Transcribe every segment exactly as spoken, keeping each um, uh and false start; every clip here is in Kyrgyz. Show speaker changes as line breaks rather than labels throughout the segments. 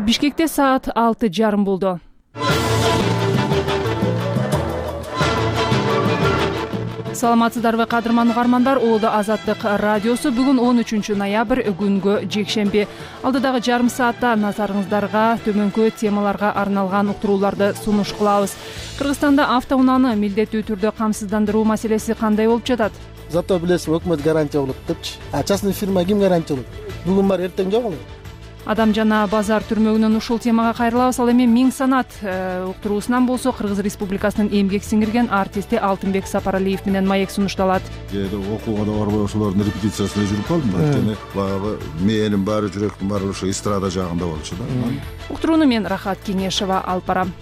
Бишкекте саат алты жарым болду. Саламатсыздарбы кадырман угармандар, Улуу Азаттык радиосу бүгүн он үчүнчү ноябрь күнгө жекшемби. Алдыдагы жарым саатта назарыңыздарга төмөнкү темаларга арналган уктурууларды сунуш кылабыз. Кыргызстанда автоунааны милдеттүү түрдө камсыздандыруу маселеси кандай болуп жатат?
Зато билесиз, өкмөт гарантия болот депчи. А частный фирма ким гарантия болот? Бүгүн бар, эртең жок эле.
Адам жана базар түрмөгүнөн ушул темага кайрылабыз. Ал эми Миң санат уктуруусунан болсо Кыргыз Республикасынын эмгек сиңирген артисти Алтынбек Сапаралиев менен маек сунушталат.
Кээде окууга да барбай ошолордун репетициясына жүрүп калдым. Анткени баягы мээнин баары, жүрөктүн баары ошо эстрада жагында болчу да.
Уктурууну мен Рахат Кеңешева алып барам.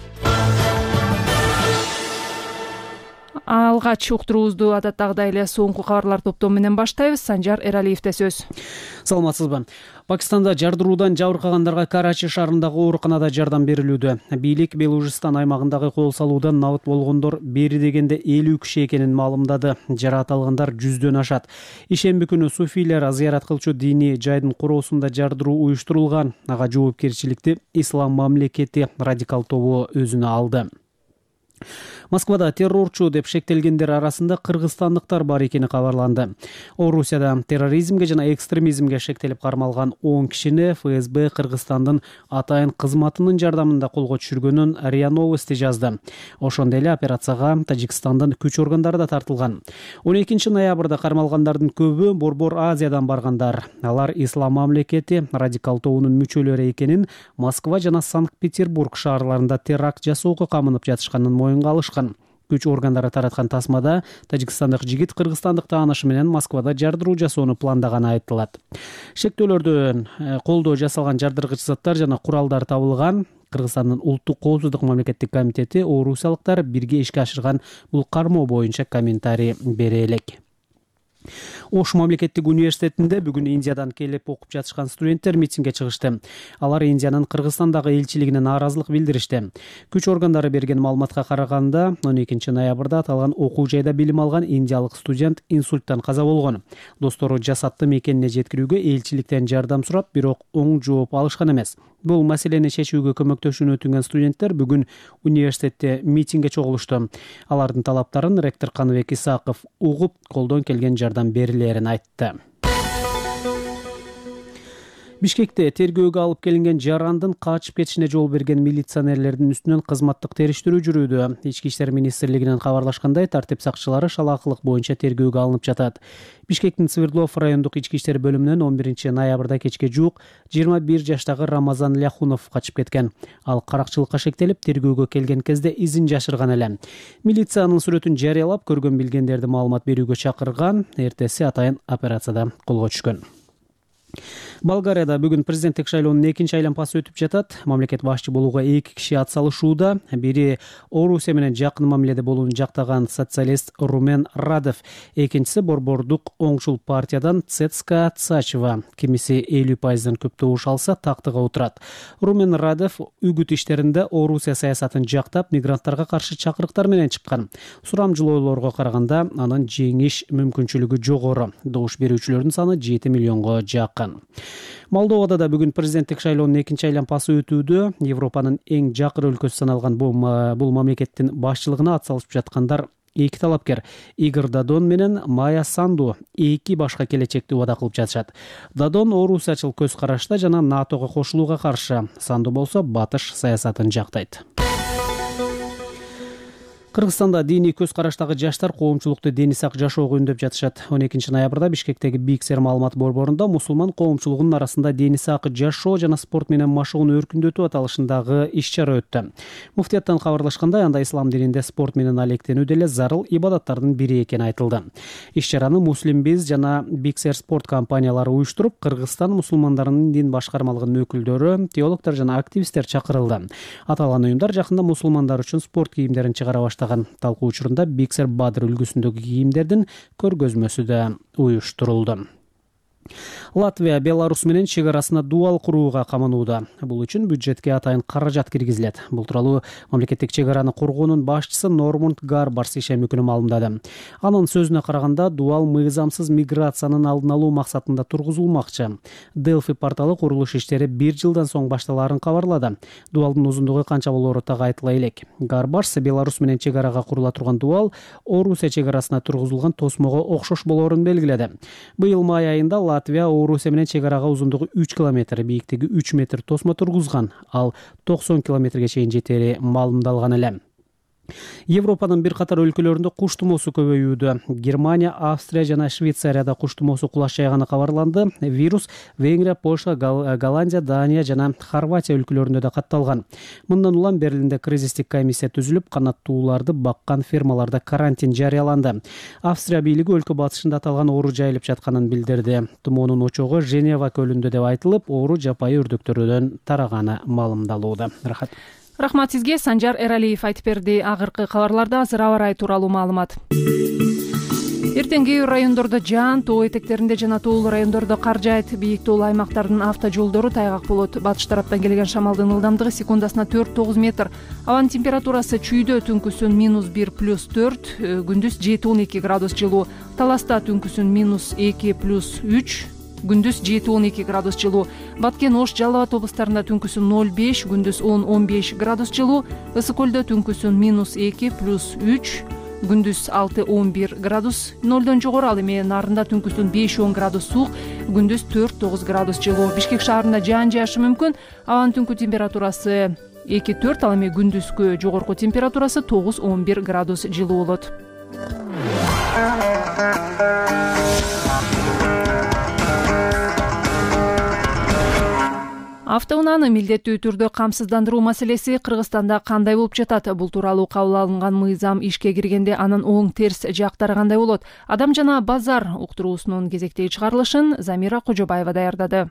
Алгач уктуруубузду адаттагыдай эле соңку кабарлар топтому менен баштайбыз. Санжар Эралиевде сөз.
Саламатсызбы. Пакистанда жардыруудан жабыркагандарга Карачи шаарындагы ооруканада жардам берилүүдө. Бийлик Белужистан аймагындагы кол салуудан набыт болгондор бери дегенде элүү киши экенин маалымдады. Жараат алгандар жүздөн ашат. Ишемби күнү суфийлер зыярат кылчу диний жайдын короосунда жардыруу уюштурулган. Ага жоопкерчиликти Ислам мамлекети радикал тобу өзүнө алды. Москвада террорчу деп шектелгендер арасында кыргызстандыктар бар экени кабарланды. Орусияда терроризмге жана экстремизмге шектелип кармалган он кишини эф эс бэ Кыргызстандын атайын кызматынын жардамында колго түшүргөнүн РИА Новости жазды. Ошондой эле операцияга Тажикстандын күч органдары да тартылган. он экинчи ноябрда кармалгандардын көбү Борбор Азиядан баргандар. Алар Ислам мамлекети радикал тобунун мүчөлөрү экенин, Москва жана Санкт-Петербург шаарларында теракт жасоого камынып жатышканын моюнга алышкан. Күч органдары тараткан тасмада тажикстандык жигит кыргызстандык таанышы менен Москвада жардыруу жасоону пландаганы айтылат. Шектөөлөрдөн колдоо жасалган жардыргыч заттар жана куралдар табылган. Кыргызстандын улуттук коопсуздук мамлекеттик комитети орусиялыктар бирге ишке ашырган бул кармоо боюнча комментарий бере элек. Ош мамлекеттик университетинде бүгүн Индиядан келип окуп жатышкан студенттер митингге чыгышты. Алар Индиянын Кыргызстандагы элчилигине нааразылык билдиришти. Күч органдары берген маалыматка караганда, он экинчи ноябрда аталган окуу жайда билим алган индиялык студент инсульттан каза болгон. Достору жасатты мекенине жеткирүүгө элчиликтен жардам сурап, бирок оң жооп алышкан эмес. Бул маселени чечүүгө көмөктөшүүнү өтүнгөн студенттер бүгүн университетте митингге чогулушту. Алардын талаптарын ректор Каныбек Исаков угуп, колдон келген жардам берилерин айтты. Бишкекте тергөөгө алып келинген жарандын качып кетишине жол берген милиционерлердин үстүнөн кызматтык териштирүү жүрүүдө. Ички иштер министрлигинен кабарлашкандай, тартип сакчылары шалаакылык боюнча тергөөгө алынып жатат. Бишкектин Свердлов райондук ички иштер бөлүмүнөн он биринчи ноябрда кечке жуук жыйырма бир жаштагы Рамазан Ляхунов качып кеткен. Ал каракчылыкка шектелип, тергөөгө келген кезде изин жашырган эле. Милициянын сүрөтүн жарыялап, көргөн билгендерди маалымат берүүгө чакырган. Эртеси атайын операцияда колго түшкөн. Болгарияда бүгүн президенттик шайлоонун экинчи айланпасы өтүп жатат. Мамлекет башчы болууга эки киши атсалышууда. Бири Орусия менен жакын мамиледе болууну жактаган социалист Румен Радев, экинчиси борбордук оңчул партиядан Цецка Цачева. Кимиси элүү пайыздан көп добуш алса тактыга отурат. Румен Радев үгүт иштеринде Орусия саясатын жактап, мигранттарга каршы чакырыктар менен чыккан. Сурамжылоолорго караганда анын жеңиш мүмкүнчүлүгү жогору. Добуш берүүчүлөрдүн саны жети миллионго жакын. Молдовада да бүгүн президенттик шайлоонун экинчи айланпасы өтүүдө. Европанын эң жакыр өлкөсү саналган бул мамлекеттин башчылыгына атсалышып жаткандар эки талапкер Игорь Дадон менен Майя Санду эки башка келечекти убада кылып жатышат. Дадон орусиячыл көз карашта жана НАТОго кошулууга каршы, Санду болсо батыш саясатын жактайт. Кыргызстанда диний көз караштагы жаштар коомчулукту дени сак жашоого үндөп жатышат. он экинчи ноябрда Бишкектеги Биксер маалымат борборунда мусулман коомчулугунун арасында дени сак жашоо жана спорт менен машыгууну өркүндөтүү аталышындагы иш-чара өттү. Муфтияттан кабарлашкандай, анда ислам дининде спорт менен алектенүү деле зарыл ибадаттардын бири экени айтылды. Иш-чараны Муслимбиз жана Биксер спорт компаниялары уюштуруп, Кыргызстан мусулмандарынын дин башкармалыгынын өкүлдөрү, теологдор жана активисттер чакырылды. Аталган уюмдар жакында мусулмандар үчүн спорт кийимдерин чыгара баштаган. Талкуу учурунда Биксер Бадыр үлгүсүндөгү кийимдердин көргөзмөсү да уюштурулду. Латвия Беларусь менен чек арасына дуал курууга каманууда. Бул үчүн бюджетке атайын каражат киргизилет. Бул тууралуу мамлекеттик чек араны коргоонун башчысы Нормунд Гарбарс ишем өкүлү маалымдады. Анын сөзүнө караганда, дуал мыйзамсыз миграциянын алдын алуу максатында тургузулмакчы. Delphi порталы курулуш иштери бир жылдан соң башталаарын кабарлады. Дуалдын узундугу канча болоору так айтыла элек. Гарбарс Беларусь менен чек арага курула турган дуал Орусия чек арасына тургузулган тосмого окшош болоорун белгиледи. Быйыл май айында Латвия Орусия менен чек арага узундугу үч километр, бийиктиги үч метр тосмо тургузган, ал токсон километрге чейин жетери маалымдалган эле. Европанын бир катар өлкөлөрүндө куш тумоосу көбөйүүдө. Германия, Австрия жана Швейцарияда куш тумоосу кулаш жайганы кабарланды. Вирус Венгрия, Польша, Голландия, Дания жана Хорватия өлкөлөрүндө да катталган. Мындан улам Берлинде кризистик комиссия түзүлүп, канаттууларды баккан фермаларда карантин жарыяланды. Австрия бийлиги өлкө батышында аталган оору жайылып жатканын билдирди. Тумоонун очогу Женева көлүндө деп айтылып, оору жапайы үрдүктөрдөн тараганы маалымдалууда. Рахат.
Рахмат сизге. Санжар Эралиев айтып берди. Агыркы кабарларда азыр аба ырайы тууралуу маалымат. Эртең кээ бир райондордо жаан, тоо этектеринде жана тоолуу райондордо кар жаайт. Бийик тоолуу аймактардын автожолдору тайгак болот. Батыш тараптан келген шамалдын ылдамдыгы секундасына төрт тогуз метр. Абанын температурасы чүйдө түнкүсүн минус бир плюс төрт, күндүз жети он эки градус жылуу. Таласта түнкүсүн минус эки плюс үч, күндүз жети он эки градус жылуу. Баткен, Ош, Жалал Абад облустарында түнкүсүн ноль беш, күндүз он он беш градус жылуу. Ысык көлдө түнкүсүн минус эки плюс үч, күндүз алты он бир градус нолдон жогору. Ал эми нарында түнкүсүн беш он градус суук, күндүз төрт тогуз градус жылуу. Бишкек шаарында жаан жаашы мүмкүн. Абанын түнкү температурасы эки төрт, ал эми күндүзгү жогорку температурасы тогуз он бир градус жылуу болот. Автоунааны милдеттүү түрдө камсыздандыруу маселеси Кыргызстанда кандай болуп жатат? Бул тууралуу кабыл алынган мыйзам ишке киргенде анын оң терс жактары кандай болот? Адам жана базар уктуруусунун кезектеги чыгарылышын Замира Кожобаева даярдады.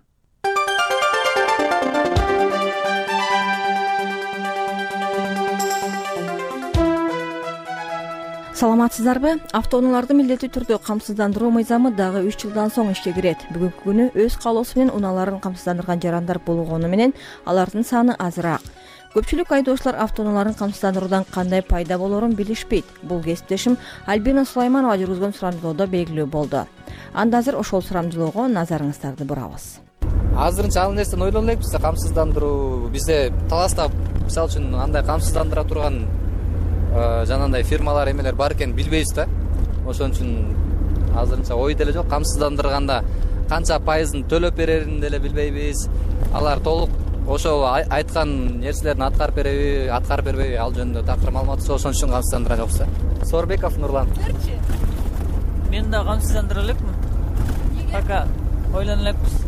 Саламатсыздарбы? Автоунааларды милдеттүү түрдө камсыздандыруу мыйзамы дагы үч жылдан соң ишке кирет. Бүгүнкү күнү өз каалоосу менен унааларын камсыздандырган жарандар болгону менен алардын саны азыраак. Көпчүлүк айдоочулар автоунааларын камсыздандыруудан кандай пайда болоорун билишпейт. Бул кесиптешим Альбина Сулайманова жүргүзгөн сурамжылоодо белгилүү болду. Анда азыр ошол сурамжылоого назарыңыздарды бурабыз.
Азырынча ал нерсени ойлоно элекпиз. Камсыздандыруу бизде Таласта мисалы үчүн андай камсыздандыра турган жанагындай фирмалар эмелер бар экенин билбейбиз да. Ошон үчүн азырынча ой деле жок. Камсыздандырганда канча пайызын төлөп берерин деле билбейбиз. Алар толук ошол айткан нерселерин аткарып береби, аткарып бербейби, ал жөнүндө такыр маалымат жок. Ошон үчүн камсыздандыра жокпуз. Сорбеков Нурлан.
Мен да камсыздандыра элекмин. Пока ойлоно элекпиз.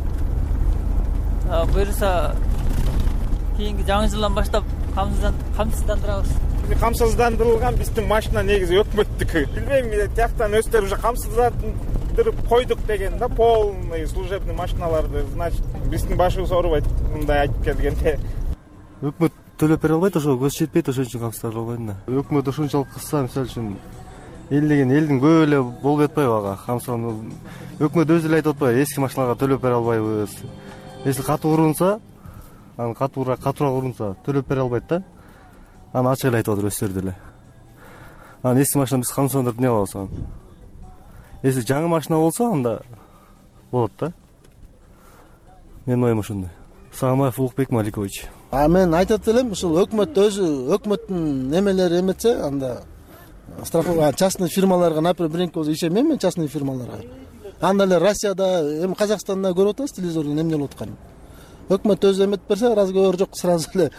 Буюрса кийинки жаңы жылдан баштап камсыздандырабыз.
Камсыздандырылган биздин машина негизи өкмөттүкү. Билбейм, тияктан өздөрү уже камсыздандырып койдук деген да, полный служебный машиналарды, значит, биздин башыбыз оорубайт мындай айтып келгенде.
Өкмөт төлөп бере албайт, ошого көз жетпейт, ошон үчүн камсыздандыра албайм да. Өкмөт ошончолук кылса, мисалы үчүн эл деген элдин көп эле болуп жатпайбы ага? Камсыздандыруу өкмөт өзү эле айтып атпайбы, эски машиналарга төлөп бере албайбыз. Если катуу урунса, аны катуураак катуураак урунса төлөп бере албайт да. Аны ачык эле айтып атыр өздөрү деле. Анан эски машина биз камсыздандырып эмне кылабыз аны? Если жаңы машина болсо, анда болот да. Менин оюм ошондой. Сагамаев Улукбек Маликович.
А мен айтат элем, ушул өкмөт өзү өкмөттүн немелери эметсе, анда страховка частный фирмаларга, например, биринки болсо ишенбейм мен частный фирмаларга. Анда эле Россияда, эми Казакстанда көрүп атабыз телевизордон эмне болуп атканын. Өкмөт өзү эметип берсе, разговор жок, сразу эле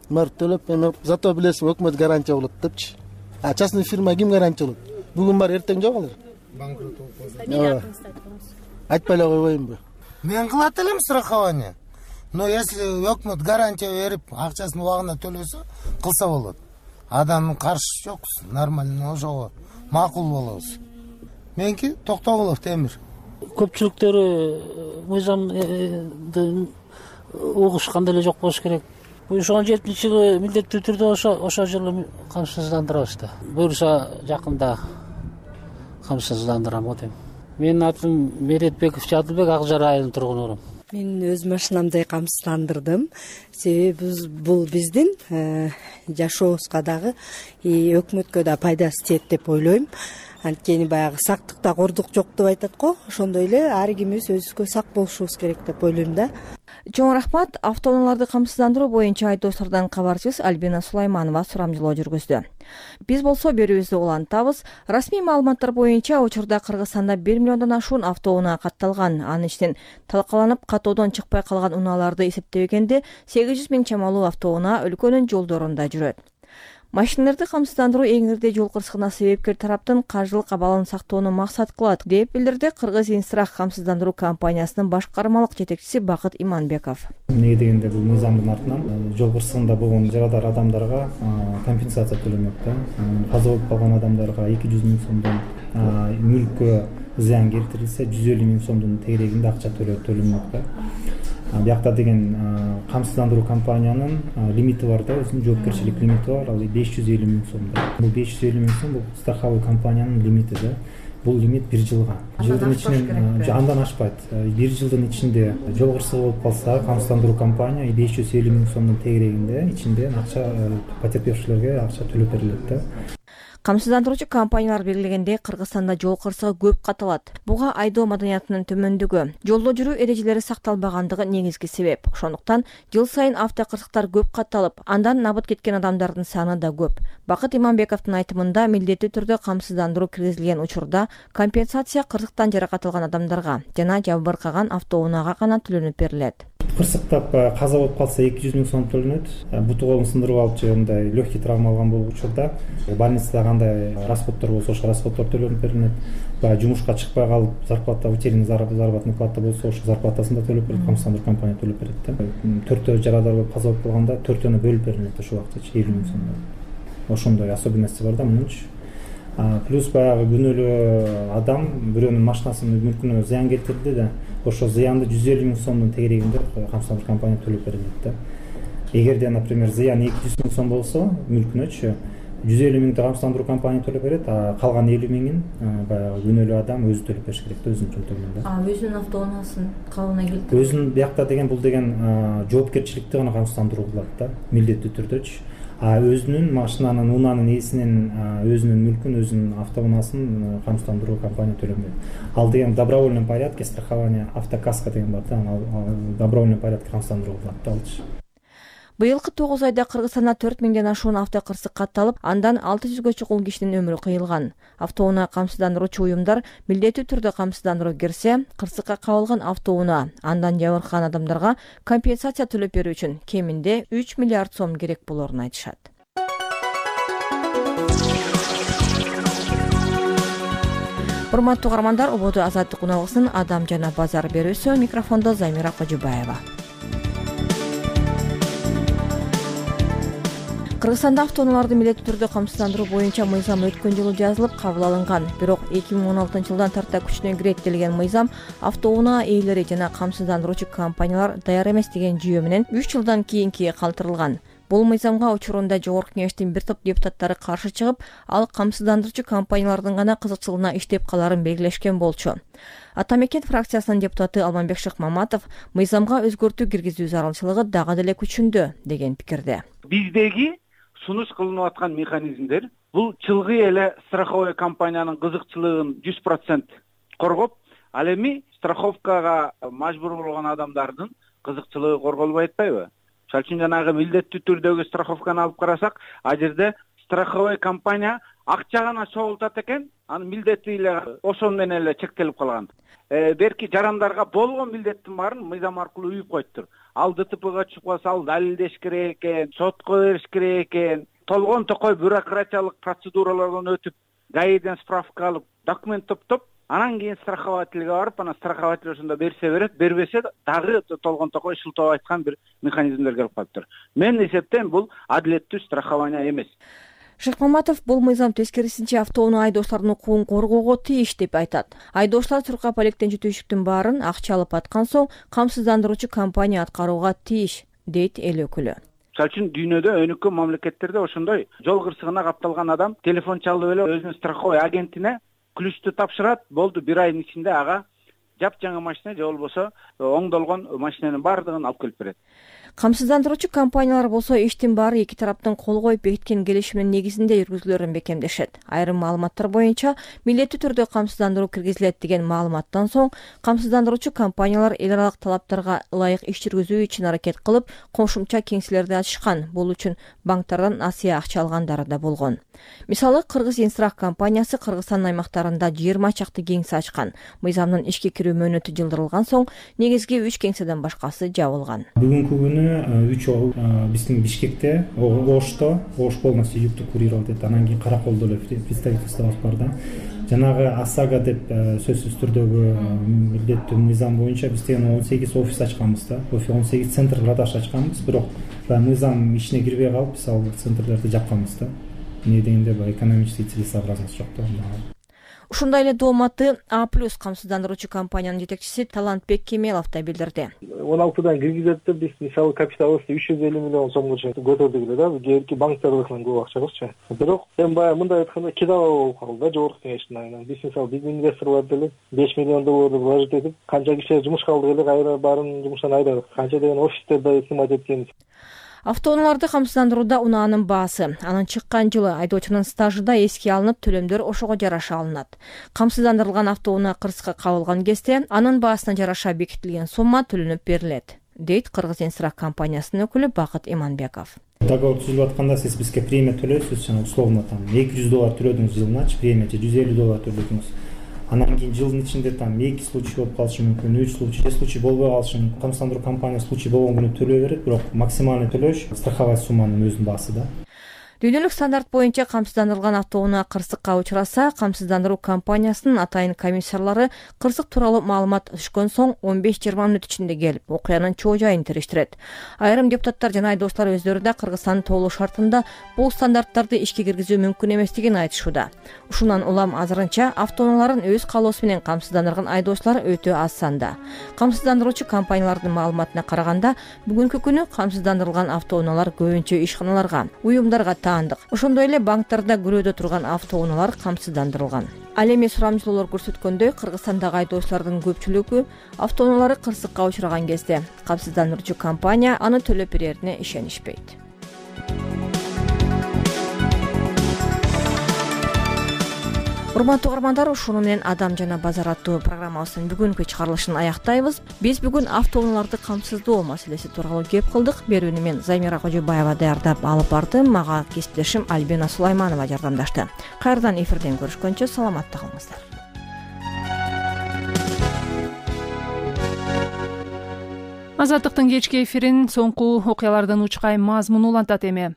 мар төлөп, эми зато билесиң, өкмөт гарантия болот депчи. А частный фирма ким гарантия болот? Бүгүн бар, эртең жок алар. Банкрот болуп айтпай эле койбоймбу?
Мен кылат элем страхование. Но если өкмөт гарантия берип, акчасын убагында төлөсө, кылса болот. Адамдын каршы жокпуз, нормально, ошого макул болобуз. Меники Токтогулов Темир.
Көпчүлүктөрү мыйзамды угушкан деле жок болуш керек. Ошон жетинчи жылы милдеттүү түрдө ошо ошол жылы камсыздандырабыз да. Буюрса жакында камсыздандырам го дейм. Менин атым Меретбеков Жадылбек, Ак Жар айылынын тургунурумун.
Мен өз машинамды камсыздандырдым. Себеби бул биздин жашообузга дагы өкмөткө да пайдасы тиет деп ойлойм. Анткени баягы сактыкта кордук жок деп айтат го. Ошондой эле ар кимибиз өзүбүзгө сак болушубуз керек деп ойлойм да.
Чоң рахмат. Автоунааларды камсыздандыруу боюнча айдоочулардан кабарчыбыз Альбина Сулайманова сурамжылоо жүргүздү. Биз болсо берүүбүздү улантабыз. Расмий маалыматтар боюнча учурда Кыргызстанда бир миллиондон ашуун автоунаа катталган. Анын ичинен талкаланып катоодон чыкпай калган унааларды эсептебегенде сегиз жүз миң чамалуу автоунаа өлкөнүн жолдорунда жүрөт. Машиналарды камсыздандыруу эң ирде жол кырсыгына себепкер тараптын каржылык абалын сактоону максат кылат, деп билдирди Кыргыз Инстрах камсыздандыруу компаниясынын башкармалык жетекчиси Бакыт Иманбеков.
Эмнеге дегенде бул мыйзамдын артынан жол кырсыгында болгон жарадар адамдарга компенсация төлөнөт да. Каза болуп калган адамдарга эки жүз миң сомдон, мүлккө зыян келтирилсе жүз элүү миң сомдун тегерегинде акча төлөнөт да. Биякта деген камсыздандыруу компаниянын лимити бар да, өзүнүн жоопкерчилик лимити бар, ал беш жүз элүү миң сом. Бул беш жүз элүү миң сом бул страховой компаниянын лимити да. Бул лимит бир жылга. Жылдын ичинен андан ашпайт. Бир жылдын ичинде жол кырсыгы болуп калса, камсыздандыруу компания беш жүз элүү миң сомдун тегерегинде ичинде акча потерпевшилерге акча төлөп берилет да.
Камсыздандыруучу компаниялар белгилегендей Кыргызстанда жол кырсыгы көп катталат. Буга айдоо маданиятынын төмөндүгү, жолдо жүрүү эрежелери сакталбагандыгы негизги себеп. Ошондуктан жыл сайын автокырсыктар көп катталып, андан набыт кеткен адамдардын саны да көп. Бакыт Иманбековдун айтымында милдеттүү түрдө камсыздандыруу киргизилген учурда компенсация кырсыктан жаракат алган адамдарга жана жабыркаган автоунаага гана төлөнүп берилет.
Кырсыктап каза болуп калса эки жүз миң сом төлөнөт. Буту колун сындырып алып же мындай легкий травма алган болуп учурда больницада кандай расходдор болсо ошо расходдор төлөнүп берилет. Баягы жумушка чыкпай калып зарплата, утерянный заработная плата болсо ошо зарплатасын да төлөп берет, камсыздандыруу компания төлөп берет да. Төртөө жарадар болуп каза болуп калганда төртөөнө бөлүп берилет ошол убактачы элүү миң сомдон. Ошондой особенности бар да мунунчу. Плюс баягы күнөөлүү адам бирөөнүн машинасынын мүлкүнө зыян келтирди да, ошо зыянды жүз элүү миң сомдун тегерегинде камсыздандыруу компания төлөп берилет да. Эгерде, например, зыян эки жүз миң сом болсо мүлкүнөчү жүз элүү миңди камсыздандыруу компания төлөп берет, а калган элүү миңин баягы күнөөлүү адам өзү төлөп бериш керек да, өзүнүн чөнтөгүнөн да.
А өзүнүн автоунаасын калыбына келтирип
өзүнүн биякта деген бул деген жоопкерчиликти гана камсыздандыруу кылат да, милдеттүү түрдөчү. А өзүнүн машинанын, унаанын ээсинин өзүнүн мүлкүн, өзүнүн автоунаасын камсыздандыруу компания төлөмөйт. Ал деген в добровольном порядке страхование, автокаска деген бар да, в добровольном порядке камсыздандыруу кылат да алчы.
Быйылкы тогуз айда Кыргызстанда төрт миңден ашуун автокырсык катталып, андан алты жүзгө чукул кишинин өмүрү кыйылган. Автоунаа камсыздандыруучу уюмдар милдеттүү түрдө камсыздандыруу кирсе, кырсыкка кабылган автоунаа, андан жабыркаган адамдарга компенсация төлөп берүү үчүн кеминде үч миллиард сом керек болорун айтышат. Урматтуу угармандар, ободо Азаттык уналгысынын Адам жана базар берүүсү, микрофондо Замира Кожубаева. Кыргызстанда автоунааларды милдеттүү түрдө камсыздандыруу боюнча мыйзам өткөн жылы жазылып кабыл алынган. Бирок эки миң он алтынчы жылдан тарта күчүнө кирет делген мыйзам автоунаа ээлери жана камсыздандыруучу компаниялар даяр эмес деген жүйө менен үч жылдан кийинки калтырылган. Бул мыйзамга учурунда Жогорку Кеңештин бир топ депутаттары каршы чыгып, ал камсыздандыруучу компаниялардын гана кызыкчылыгына иштеп каларын белгилешкен болчу. Ата Мекен фракциясынын депутаты Алмамбек Шыкмаматов мыйзамга өзгөртүү киргизүү зарылчылыгы дагы деле күчүндө деген пикирде.
Биздеги сунуш кылынып аткан механизмдер бул чылгый эле страховой компаниянын кызыкчылыгын жүз процент коргоп, ал эми страховкага мажбур болгон адамдардын кызыкчылыгы корголбой атпайбы? Мисалы үчүн жанагы милдеттүү түрдөгү страховканы алып карасак, а жерде страховой компания акча гана чогултат экен, анын милдети эле ошон менен эле чектелип калган. Берки жарандарга болгон милдеттин баарын мыйзам аркылуу үйүп коюптур. Ал ДТПга чыгып калса, ал далилдеш керек экен, сотко бериш керек экен. Толгон токой бюрократиялык процедуралардан өтүп, гаиден справка алып, документ топтоп, анан кийин страховательге барып, анан страхователь ошондо берсе берет, бербесе дагы толгон токой шылтоо айткан бир механизмдер келип калыптыр. Мен эсептейм, бул адилеттүү страхование эмес.
Шыкмаматов бул мыйзам тескерисинче автоунаа айдоочулардын укугун коргоого тийиш деп айтат. Айдоочулар Чурка полектен түтүшүктүн баарын акча алып аткан соң камсыздандыруучу компания аткарууга тийиш, дейт эл өкүлү.
Мисалы үчүн дүйнөдө өнүккөн мамлекеттерде ошондой жол кырсыгына капталган адам телефон чалып эле өзүнүн страховой агентине ключту тапшырат, болду бир айдын ичинде ага жапжаңа машина же болбосо оңдолгон машинанын баардыгын алып келип берет.
Камсыздандыруучу компаниялар болсо иштин баары эки тараптын кол коюп бекиткен келишимдин негизинде жүргүзүлөрүн бекемдешет. Айрым маалыматтар боюнча милдеттүү түрдө камсыздандыруу киргизилет деген маалыматтан соң камсыздандыруучу компаниялар эл аралык талаптарга ылайык иш жүргүзүү үчүн аракет кылып, кошумча кеңселерди ачышкан. Бул үчүн банктардан насыя акча алгандары да болгон. Мисалы, Кыргыз Инстрах компаниясы Кыргызстандын аймактарында жыйырма чакты кеңсе ачкан. Мыйзамдын ишке кирүү мөөнөтү жылдырылган соң негизги үч кеңседен башкасы жабылган.
Бүгүнкү күнү үч биздин Бишкекте, Ошто, Ош полностью югту курировать этет. Анан кийин Караколдо эле представительствобуз бар да. Жанагы АСАГА деп сөзсүз түрдөгү милдеттүү мыйзам боюнча биз деген он сегиз офис ачканбыз да. он сегиз центр продаж ачканбыз, бирок мыйзам ишине кирбей калып, биз ал центрлерди жапканбыз да. Эмне дегенде баягы экономический целесообразность жок да.
Ушундай эле дооматты А плюс камсыздандыруучу компаниянын жетекчиси Талантбек Кемелов да билдирди.
он алтыдан киргизет деп биз мисалы капиталыбызды үч жүз элүү миллион сомго чейин көтөрдүк эле да. Кээинки банктардыкынан көп акчабызчы. Бирок эми баягы мындай айтканда кедалаа болуп калды да жогорку кеңештин айынан. Биз мисалы биздин инвесторлор деле беш миллион долларды вложить этип, канча киши жумушка алдык эле, кайра баарын жумуштан айдадык. Канча деген офистерде сымат эткенбиз.
Автоунааларды камсыздандырууда унаанын баасы, анын чыккан жылы, айдоочунун стажы да эске алынып, төлөмдөр ошого жараша алынат. Камсыздандырылган автоунаа кырсыкка кабылган кезде анын баасына жараша бекитилген сумма төлөнүп берилет, дейт Кыргыз Инстрах компаниясынын өкүлү Бакыт Иманбеков.
Договор түзүлүп атканда сиз бизге премия төлөйсүз, жана условно там эки жүз доллар төлөдүңүз жылыначы, премия же жүз элүү доллар төлөдүңүз. Анан кийин жылдын ичинде там эки случай болуп калышы мүмкүн, үч случай, же случай болбой калышы мүмкүн. Камсыздандыруу компаниясы случай болгон күнү төлөй берет, бирок максимальный төлөш страховая сумманын өзүнүн баасы да.
Дүйнөлүк стандарт боюнча камсыздандырылган автоунаа кырсыкка учураса, камсыздандыруу компаниясынын атайын комиссарлары кырсык тууралуу маалымат түшкөн соң он беш жыйырма мүнөт ичинде келип, окуянын чоо жайын териштирет. Айрым депутаттар жана айдоочулар өздөрү да Кыргызстандын тоолуу шартында бул стандарттарды ишке киргизүү мүмкүн эместигин айтышууда. Ушундан улам азырынча автоунааларын өз каалоосу менен камсыздандырган айдоочулар өтө аз санда. Камсыздандыруучу компаниялардын маалыматына караганда, бүгүнкү күнү камсыздандырылган автоунаалар көбүнчө ишканаларга, уюмдарга Ошондой эле банктарда күрөдө турган автоунаалар камсыздандырылган. Ал эми сурамжылоолор көрсөткөндөй, Кыргызстандагы айдоочулардын көпчүлүгү автоунаалары кырсыкка учураган кезде камсыздандыруучу компания аны төлөп берерине ишенишпейт. Урматтуу угармандар, ушуну менен Адам жана базар аттуу программабыздын бүгүнкү чыгарылышын аяктайбыз. Биз бүгүн автоунааларды камсыздоо маселеси тууралуу кеп кылдык. Берүүнү мен Замира Кожобаева даярдап алып бардым. Мага кесиптешим Альбина Сулайманова жардамдашты. Кайрадан эфирден көрүшкөнчө саламатта калыңыздар.
Азаттыктын кечки эфирин соңку окуялардан учкай мазмун улантат эми.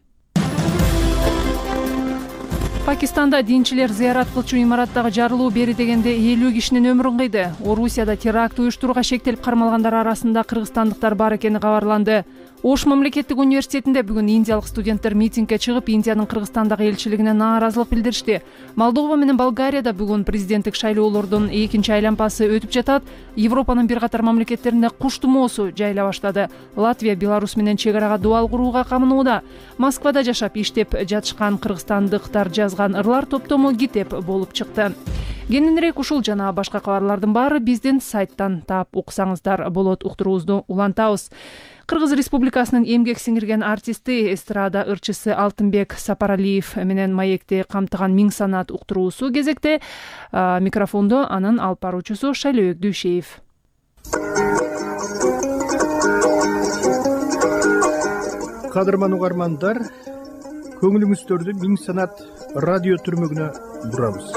Пакистанда динчилер зыярат кылчу имараттагы жарылуу бери дегенде элүү кишинин өмүрүн кыйды. Орусияда теракт уюштурууга шектелип кармалгандар арасында кыргызстандыктар бар экени кабарланды. Ош мамлекеттик университетинде бүгүн индиялык студенттер митингге чыгып, Индиянын Кыргызстандагы элчилигине нааразылык билдиришти. Молдова менен Болгарияда бүгүн президенттик шайлоолордун экинчи айланпасы өтүп жатат. Европанын бир катар мамлекеттеринде куш тумоосу жайыла баштады. Латвия Беларусь менен чек арага дубал курууга камынууда. Москвада жашап иштеп жатышкан кыргызстандыктар жазган ырлар топтому китеп болуп чыкты. Кененирээк ушул жана башка кабарлардын баары биздин сайттан таап уксаңыздар болот. Уктуруубузду улантабыз. Кыргыз Республикасынын эмгек сиңирген артисти, эстрада ырчысы Алтынбек Сапаралиев менен маекти камтыган миң санат уктуруусу кезекте. Микрофондо анын алып баруучусу Шайлообек Дүйшеев.
Кадырман угармандар, көңүлүңүздөрдү миң санат радио түрмөгүнө бурабыз.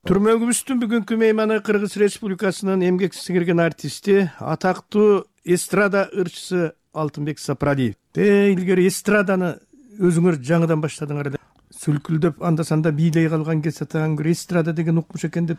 Түрмөгүбүздүн бүгүнкү мейманы Кыргыз Республикасынын эмгек сиңирген артисти, атактуу эстрада ырчысы Алтынбек Сапаралиев. Те илгери эстраданы өзүңөр жаңыдан баштадыңар эле. Сүлкүлдөп анда-санда бийлей калган кезде таңгыр эстрада деген укмуш экен деп.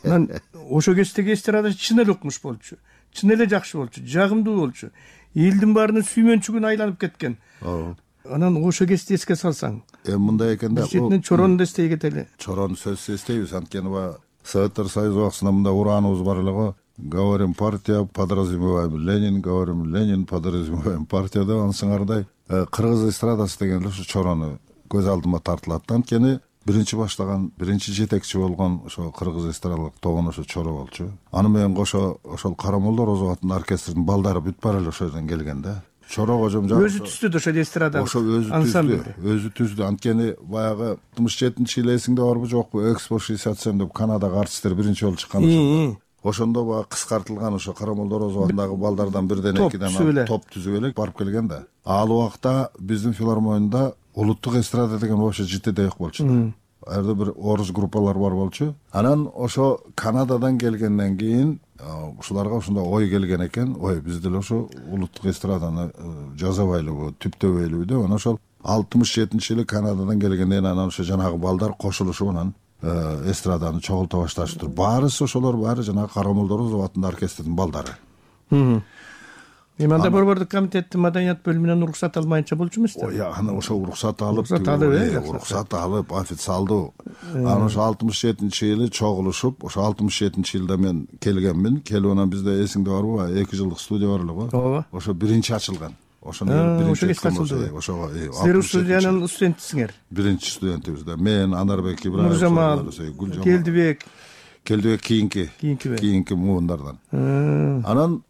Анан ошо кездеги эстрада чын эле укмуш болчу. Чын эле жакшы болчу, жагымдуу болчу. Элдин баарынын сүймөнчүгүнө айланып кеткен. Ооба. Анан ошо кезде эске салсаң,
эми мындай экенде,
бул чорону да эстей кетели.
Чорону сөзсүз эстейбиз, анткени баягы Советтер Союзу убактысында мындай урааныбыз бар эле го. Говорим партия, подразумеваем Ленин, говорим Ленин, подразумеваем партия деп, ансыңардай кыргыз эстрадасы деген эле ушу чорону көз алдыма тартылат. Анткени биринчи баштаган, биринчи жетекчи болгон ошо кыргыз эстрадалык тобун ошо чоро болчу. Аны менен кошо ошол Карамолдо Розов аттуу оркестрдин балдары бүт бара эле ошол жерден келген да. Чоро кожом
өзү түздү ошо эстрада.
Ошо өзү түздү, өзү түздү. Анткени баягы алтымыш жетинчи жылы эсиңде барбы жокпу? Экспо шестьдесят семь деп Канадага артисттер биринчи жолу чыккан ошондо. Ошондо баягы кыскартылган ошо Карамолдо Розов атындагы балдардан бирден экиден топ түзүп эле барып келген да. Ал убакта биздин филармонияда улуттук эстрада деген вообще житиде жок болчу. Ар бир бир орус группалар бар болчу. Анан ошо Канададан келгенден кийин ушуларга ушундай ой келген экен. Ой, биз деле ошо улуттук эстраданы жасабайлыбы, түптөбөйлүбү деп анан ошол алтымыш жетинчи жылы Канададан келгенден анан ошо жанагы балдар кошулушуп анан эстраданы чогулта башташыптыр. Баарысы ошолор баары жанагы Карамолдо Розов атындагы оркестрдин балдары.
Эми анда борбордук комитеттин маданият бөлүмүнөн уруксат алмайынча болчу эмес да?
Ой, аны ошо уруксат алып, уруксат алып, официалдуу. Анан ошо алтымыш жетинчи жылы чогулушуп, ошо алтымыш жетинчи жылда мен келгенмин. Келип анан бизде эсиңде барбы? эки жылдык студия бар эле го.
Ооба.
Ошо биринчи ачылган.
Ошону биринчи ачылды.
Ошого
силер студиянын студентисиңер.
Биринчи студентибиз да. Мен Анарбек Ибраев,
Нуржамал, Келдибек.
Келдибек кийинки, кийинки муундардан. Анан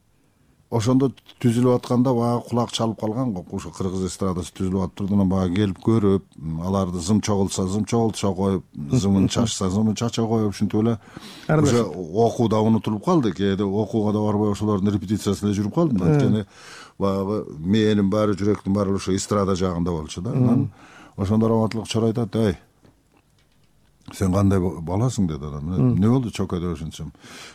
ошондо түзүлүп атканда баягы кулак чалып калган го. Ошо кыргыз эстрадасы түзүлүп атып турду, баягы келип көрүп, аларды зым чогултса зым чогултуша коюп, зымын чачса зымын чача коюп, ушинтип эле уже окуу да унутулуп калды. Кээде окууга да барбай ошолордун репетициясына жүрүп калдым. Анткени баягы мээнин баары, жүрөктүн баары ошо эстрада жагында болчу да. Анан ошондо раматтылык чор айтат: "Эй, сен кандай баласың?" деди адам. "Эмне болду чока?" деп ошентсем,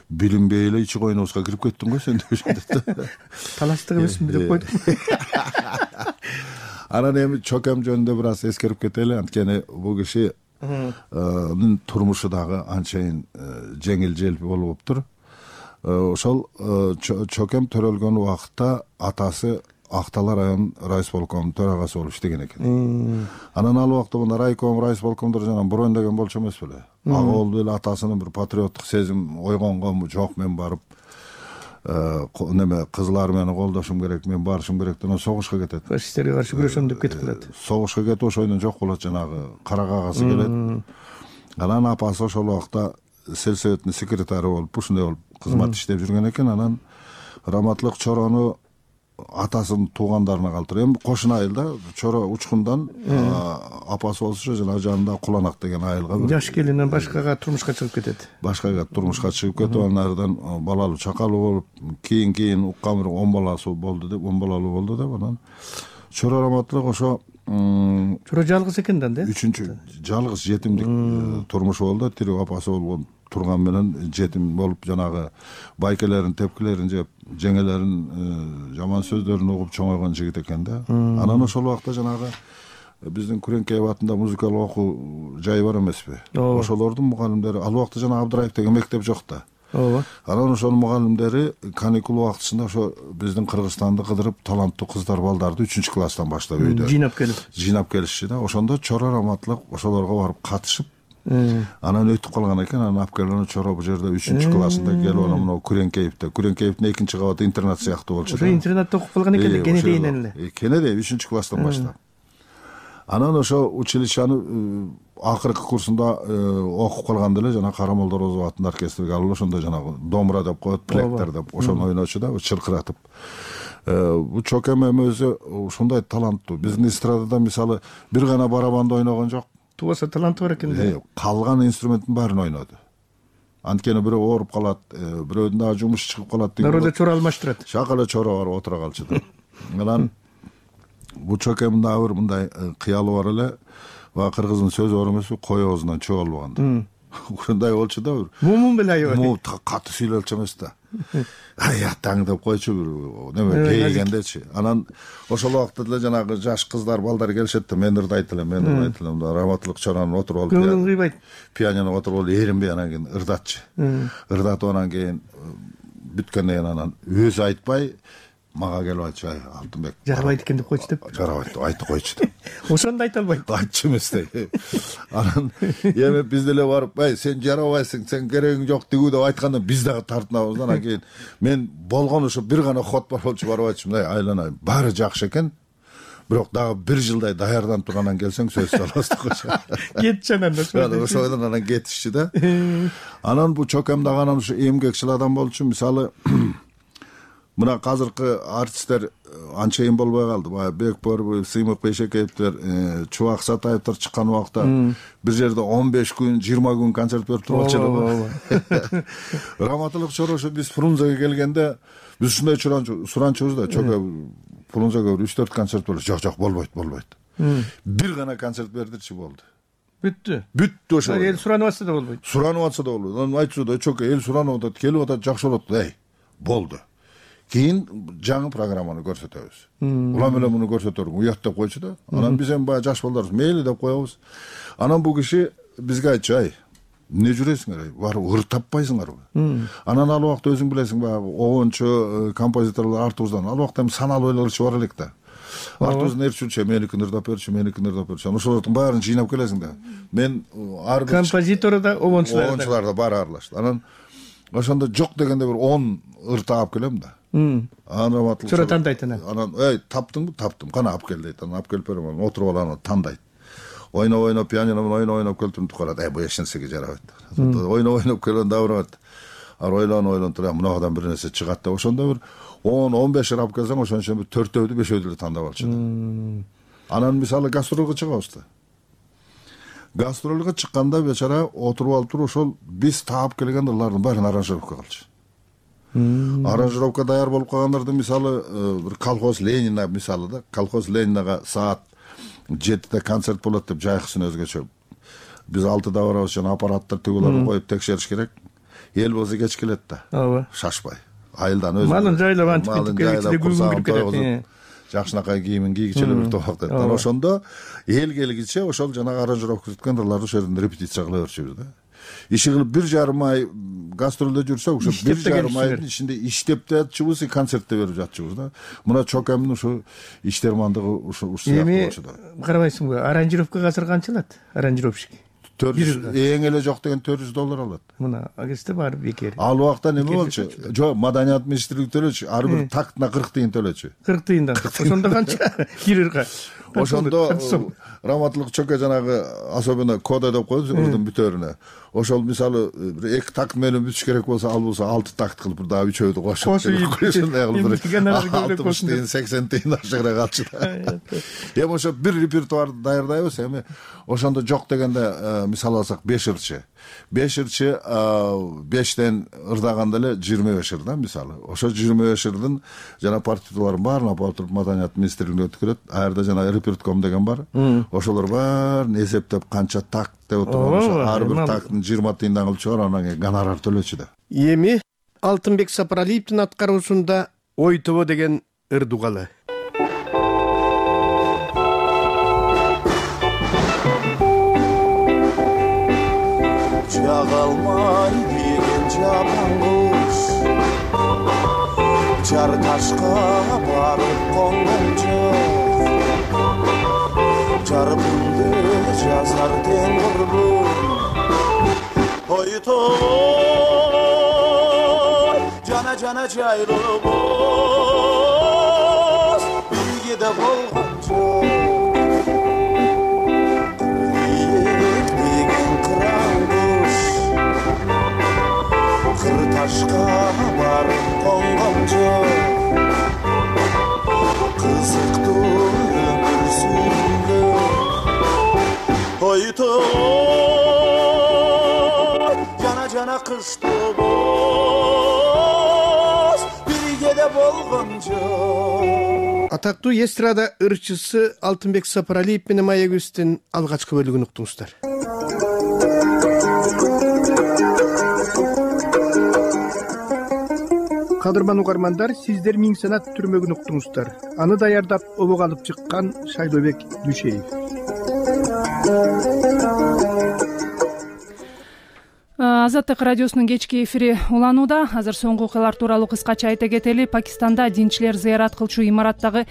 "Билинбей эле ичи койнубузга кирип кеттиң го сен" деп ошентет.
Талаштык эмесминби деп койдум.
Анан эми чокам жөнүндө бир аз эскерип кетели. Анткени бул кишинин турмушу дагы анчайын жеңил желпи болуптур. Ошол чокем төрөлгөн убакытта атасы Актала район райисполкомунун төрагасы болуп иштеген экен. Анан ал убакта мына райком, райисполкомдор жана броон деген болчу эмес беле. Ага болду эле атасынын бир патриоттук сезим ойгонгонбу, жок мен барып неме кызыл армияны колдошум керек, мен барышым керек деп согушка кетет.
Фашисттерге каршы күрөшөм деп кетип калат.
Согушка кетип ошойдон жок болот, жанагы кара кагазы келет. Анан апасы ошол убакта сельсоветтин секретары болуп, ушундай болуп кызмат иштеп жүргөн экен. Анан Раматтылык чорону атасынын туугандарына калтырып, эми кошун айыл да, чоро учкундан апасы болсо жана жанында Куланак деген айылга
жаш келинен башкага турмушка чыгып кетет.
Башкага турмушка чыгып кетип, анан ардан балалуу чакалуу болуп, кийин кийин уккан бир он баласы болду деп, он балалуу болду деп, анан чоро Раматтылык ошо
чоро жалгыз экен да,
үчүнчү жалгыз жетимдик турмушу болду. Тирүү апасы болгон турган менен жетим болуп, жанагы байкелерин, тепкилерин жеп, жеңелерин жаман сөздөрүн угуп чоңойгон жигит экен да. Анан ошол убакта жанагы биздин Күреңкеев атында музыкалык окуу жайы бар эмеспи? Ошолордун мугалимдери, ал убакта жана Абдыраев деген мектеп жок да.
Ооба.
Анан ошонун мугалимдери каникул убактысында ошо биздин Кыргызстанды кыдырып, таланттуу кыздар балдарды үчүнчү класстан баштап үйдө
жыйнап келип,
жыйнап келишчи да. Ошондо Чоро Раматтылык ошолорго барып катышып, анан өтүп калган экен. Анан алып келип Чоро бул жерде үчүнчү классында келип, анан мына Күреңкеевде, Күреңкеевдин экинчи кабаты интернат сыяктуу болчу да.
Ошо интернатта окуп калган экен, Кенедейден эле.
Кенедей үчүнчү класстан баштап. Анан ошо училищаны акыркы курсунда окуп калганда эле жана Карамолдо Розов атындагы оркестрге алып, ошондо жанагы домбура деп коет, плектер деп, ошону ойночу да, чыркыратып. Бул чокем эми өзү ушундай таланттуу. Биздин эстрадада мисалы бир гана барабанды ойногон жок.
Тубаса таланты бар экен да.
Калган инструменттин баарын ойноду. Анткени бирөө ооруп калат, бирөөдүн дагы жумушу чыгып калат деген.
Народо чоро алмаштырат.
Шакала чоро барып отура калчу да. Анан бул чокемдин дагы бир мындай кыялы бар эле. Ва кыргыздын сөзү бар эмеспи, кой оозунан чөө албаганда. Ушундай болчу да бир.
Мумун беле аябай.
Му катуу сүйлөлчү эмес да. Ай атаң деп койчу бир неме кейгендечи. Анан ошол убакта деле жанагы жаш кыздар, балдар келишет да, мен ырдайт элем, мен ырдайт элем да. Раматтылык чоронун отуруп алып,
көңүл кыйбайт.
Пианино отуруп алып эринбей анан кийин ырдатчы. Ырдатып анан кийин бүткөндөн кийин анан өзү айтпай мага келип айтчу: "Ай, Алтынбек,
жарабайт экен" деп койчу деп.
Жарабайт деп айтып койчу деп.
Ошондо айта албайт.
Айтчу эмес да. Анан эми биз деле барып, "Ай, сен жарабайсың, сен керегиң жок" дегүү деп айтканда биз дагы тартынабыз. Анан кийин мен болгон ошо бир гана ход бар болчу, барып айтчумун: "Ай, айланайын, баары жакшы экен. бирок дагы бир жылдай даярданып тургандан келсең сөзсүз албастык
кетчи анан
ошодон анан кетишчи да. Анан бул чокем дагы анан ушу эмгекчил адам болчу. Мисалы мына азыркы артисттер анчейин болбой калды. Баягы Бекбор, Сыймык Бейшекеевдер, Чубак Сатаевдер чыккан убакта бир жерде он беш күн, жыйырма күн концерт берип турчу эле. Раматылык чоро ошо биз Фрунзеге келгенде биз ушундай суранчубуз да, чоке Фрунзеге үч төрт концерт болот. Жок, жок, болбойт, болбойт. Бир гана концерт бердирчи болду.
Бүттү.
Бүттү ошо.
Эл суранып атса да болбойт.
Суранып атса да болбойт. Анан айтчу да, чоке эл суранып атат, келип атат, жакшы болот. Эй, болду. Кийин жаңы программаны көрсөтөбүз. Улам эле муну көрсөтөрүң, уят деп койчу да. Анан биз эми баягы жаш балдарбыз, мейли деп коебуз. Анан бул киши бизге айтчу, ай, эмне жүрөсүңөр, барып ыр таппайсыңарбы? Анан ал убакта өзүң билесиң, баягы огончу композиторлор артыбыздан ал убакта эми саналуу ойлорчу бар элек да. Артыбыздан эрчүчү, меникин ырдап берчү, меникин ырдап берчү. Анан ошолордун баарын жыйнап келесиң да. Мен ар бир
композитор да, огончулар да.
Огончулар да баары аралашты. Анан ошондо жок дегенде бир он ыр таап келем да. Анан
чоро тандайт анан.
Анан, эй, таптыңбы? Таптым. Кана алып кел дейт. Анан алып келип берем. Анан отуруп алып анан тандайт. Ойноп ойноп пианино менен ойноп ойноп келтирип карат. Эй, бул эч нерсеге жарабайт. Ойноп ойноп келген да барат. Ар ойлонуп ойлонуп туруп, мынагыдан бир нерсе чыгат деп ошондо бир он он беш ыр алып келсең, ошон үчүн бир төртөөдү, бешөөдү эле тандап алчу. Анан мисалы гастролго чыгабыз да. Гастролго чыкканда бечара отуруп алып туруп ошол биз таап келген ырлардын баарын аранжировка кылчу. Аранжировка даяр болуп калгандарды мисалы бир колхоз Ленина мисалы да, колхоз Ленинага саат жетиде концерт болот деп жайкысын өзгөчө. Биз алтыда барабыз, жана аппараттар тигуларын коюп текшериш керек. Эл болсо кеч келет да.
Ооба.
Шашпай. Айылдан өзү.
Малын жайлап антип кетип келгенде күлгүн кетет.
Жакшынакай кийимин кийгичи эле бир топ деп. Анан ошондо эл келгиче ошол жанагы аранжировка түзүткөн ырларды ошол жерден репетиция кыла берчүбүз да. Иши кылып бир жарым ай гастролдо жүрсөк, ошо бир жарым айдын ичинде иштеп да жатчыбыз, и концертте берип жатчыбыз да. Мына чокемдин ушу иштермандыгы ушу ушу сыяктуу болчу да.
Эми карабайсыңбы, аранжировка азыр канча алат? Аранжировщик.
төрт жүз эң эле жок деген төрт жүз доллар алат.
Мына агесте бар бекер.
Ал убакта неме болчу? Жок, маданият министрлиги төлөчү, ар бир тактына кырк тыйын төлөчү.
кырк тыйындан. Ошондо канча кирирга?
Ошондо Раматылык чоке жанагы особенно кода деп коебуз ырдын бүтөрүнө. Ошол мисалы эки такт менен бүтүш керек болсо, ал болсо алты такт кылып бир дагы үчөөдү кошуп алтымыш тыйын, сексен тыйын ашыгыраак алчу да. Эми ошо бир репертуарды даярдайбыз, эми ошондо жок дегенде мисал алсак беш ырчы. беш ырчы бештен ырдаганда эле жыйырма беш ыр да мисалы. Ошо жыйырма беш ырдын жана партитураларын баарын алып алып туруп маданият министрлигине өткөрөт. Ар жерде жана репертуар деген бар. Ошолор баарын эсептеп канча такт деп отурган, ошо ар бир такттын жыйырма тыйындан кылып чыгарып анан кийин гонорар төлөчү да.
Эми Алтынбек Сапаралиевдин аткаруусунда Ой тобо деген ыр дугалы.
Жагалмай деген жаман куш, жар ташка барып конгон жок, жарымды жазар тең курбум. Ой тобо жана жана жайлыбыз, бирге да болгон жок. Ташка барып конгон жок, кызыктуу өмүр сүргөн. Ой тобо жана жана кыш тобоз, бирге да болгон жок.
Атактуу эстрада ырчысы Алтынбек Сапаралиев менен маегибиздин алгачкы бөлүгүн уктуңуздар. Кадырман угармандар, сиздер Миң санат түрмөгүн уктуңуздар. Аны даярдап обого алып чыккан Шайлообек Дүшеев.
Азаттык радиосунун кечки эфири уланууда. Азыр соңку окуялар тууралуу кыскача айта кетели. Пакистанда динчилер зыярат кылчу имараттагы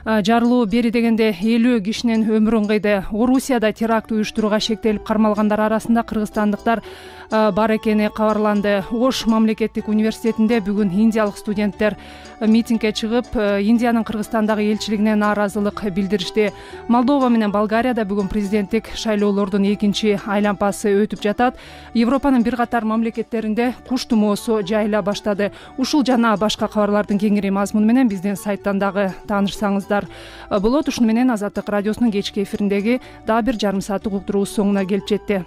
жарылуу бери дегенде элүү кишинин өмүрүн кыйды. Орусияда теракт уюштурууга шектелип кармалгандар арасында кыргызстандыктар бар экени кабарланды. Ош мамлекеттик университетинде бүгүн индиялык студенттер митингге чыгып, Индиянын Кыргызстандагы элчилигине нааразылык билдиришти. Молдова менен Болгарияда бүгүн президенттик шайлоолордун экинчи айлампасы өтүп жатат. Европанын бир катар мамлекеттеринде куш тумоосу жайыла баштады. Ушул жана башка кабарлардын кеңири мазмуну менен биздин сайттан дагы таанышсаңыздар болот. Ушуну менен Азаттык радиосунун кечки эфириндеги дагы бир жарым сааттык уктуруубуз соңуна келип жетти.